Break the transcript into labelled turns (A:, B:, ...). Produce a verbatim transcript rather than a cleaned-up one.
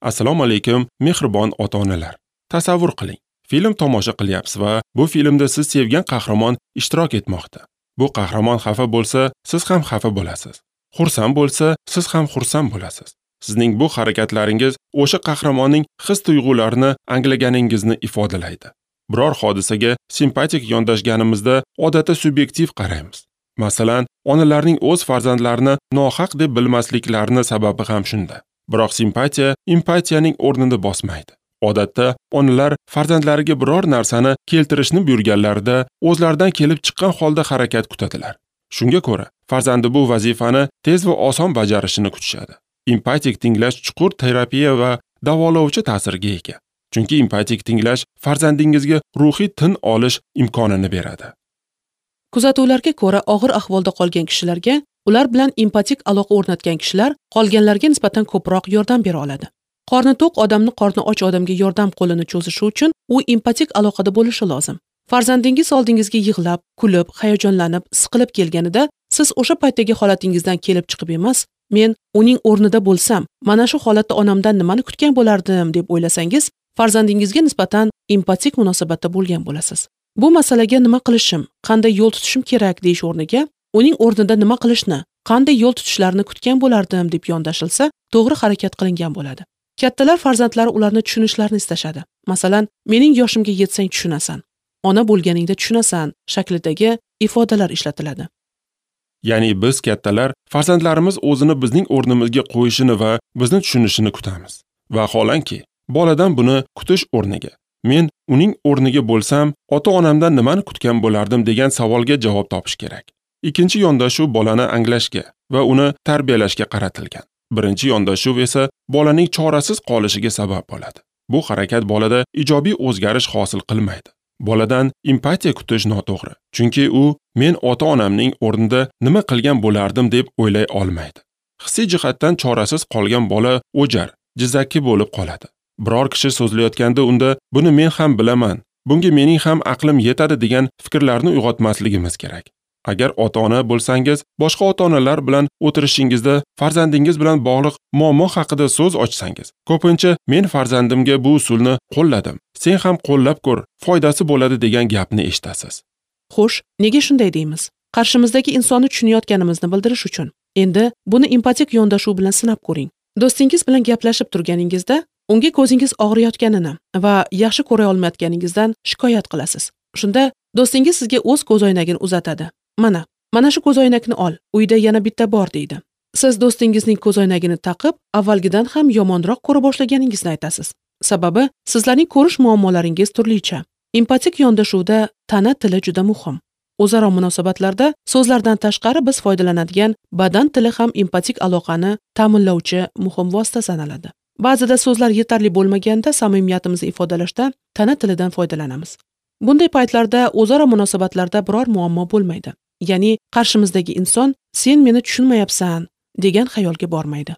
A: Assalomu alaykum, mehribon ota-onalar. Tasavvur qiling, film tomosha qilyapsiz va bu filmda siz sevgan qahramon ishtirok etmoqda. Bu qahramon xafa bo'lsa, siz ham xafa bo'lasiz. Xursand bo'lsa, siz ham xursand bo'lasiz. Sizning bu harakatlaringiz o'sha qahramonning his-tuyg'ularini anglaganingizni ifodalaydi. Biror hodisaga simpatik yondashganimizda odatda subyektiv qaraymiz. Masalan, onalarning o'z farzandlarini nohaq deb bilmasliklarini sababi ham shunda. Biroq simpatiya empatiyaning o'rnini bosmaydi. Odatda onalar farzandlariga biror narsani keltirishni buyurganlarida o'zlaridan kelib chiqqan holda harakat kutadilar. Shunga ko'ra, farzandi bu vazifani tez va oson bajarishini kutishadi. Empatik tinglash chuqur terapiya va davolovchi ta'sirga ega. Chunki empatik tinglash farzandingizga ruhiy tin olish imkonini beradi.
B: Kuzatuvlarga ko'ra, og'ir ahvolda qolgan kishilarga ular bilan empatik aloqa o'rnatgan kishilar qolganlarga nisbatan ko'proq yordam bera oladi. Qorni to'q odamni qorni och odamga yordam qo'lini cho'zishi uchun u empatik aloqada bo'lishi lozim. Farzandingiz oldingizga yig'lab, kulib, hayajonlanib, siqilib kelganida siz o'sha paytdagi holatingizdan kelib chiqib emas, men uning o'rnida bo'lsam, mana shu holatda onamdan nimani kutgan bo'lardim deb o'ylasangiz, farzandingizga nisbatan empatik munosabatda bo'lgan bo'lasiz. Bu masalaga nima qilishim, qanday yo'l tutishim kerak deyish o'rniga, uning o'rnida nima qilishni, qanday yo'l tutishlarini kutgan bo'lardim deb yondashilsa, to'g'ri harakat qilingan bo'ladi. Kattalar farzandlari ularni tushunishlarini istashadi. Masalan, mening yoshimga yetsang tushunasan, ona bo'lganingda tushunasan shaklidagi ifodalar ishlatiladi.
A: Ya'ni biz kattalar farzandlarimiz o'zini bizning o'rnimizga qo'yishini va bizni tushunishini kutamiz. Vaholanki, boladan buni kutish o'rniga men uning o'rniga bo'lsam, ota-onamdan nimani kutgan bo'lardim degan savolga javob topish kerak. Ikkinchi yondashuv bolani anglashga va uni tarbiyalashga qaratilgan. Birinchi yondashuv esa bolaning chorasiz qolishiga sabab bo'ladi. Bu harakat bolada ijobiy o'zgarish hosil qilmaydi. Boladan empatiya kutish noto'g'ri, chunki u men ota-onamning o'rnida nima qilgan bo'lardim deb o'ylay olmaydi. Hissiy jihatdan chorasiz qolgan bola o'jar, jizzaki bo'lib qoladi. Biror kishi so'zlayotganda unda buni men ham bilaman, bunga mening ham aqlim yetadi degan fikrlarni uyg'otmasligimiz kerak. Agar ota-ona bo'lsangiz, boshqa ota-onalar bilan o'tirishingizda farzandingiz bilan bog'liq muammo haqida so'z ochsangiz, ko'pincha men farzandimga bu usulni qo'lladim, sen ham qo'llab ko'r, foydasi bo'ladi degan gapni eshitasiz.
B: Xo'sh, nega shunday deymiz? Qarshimizdagi insonni tushunayotganimizni bildirish uchun. Endi buni empatik yondashuv bilan sinab ko'ring. Do'stingiz bilan gaplashib turganingizda unga ko'zingiz og'riyotganini va yaxshi ko'ra olmayotganingizdan shikoyat qilasiz. Shunda do'stingiz sizga o'z ko'zoynagini uzatadi. Mana, mana shu ko'zoynakni ol, uyda yana bitta bor deydi. Siz do'stingizning ko'zoynagini taqib, avvalgidan ham yomonroq ko'ra boshlaganingizni aytasiz. Sababi, sizlarning ko'rish muammolaringiz turlicha. Empatik yondashuvda tana tili juda muhim. O'zaro munosabatlarda so'zlardan tashqari biz foydalanadigan badan tili ham empatik aloqani ta'minlovchi muhim vosita sanaladi. Ba'zida so'zlar yetarli bo'lmaganda samimiyatimizni ifodalashda tana tilidan foydalanamiz. Bunday paytlarda o'zaro munosabatlarda biror muammo bo'lmaydi. Ya'ni qarshimizdagi inson sen meni tushunmayapsan degan xayolga bormaydi.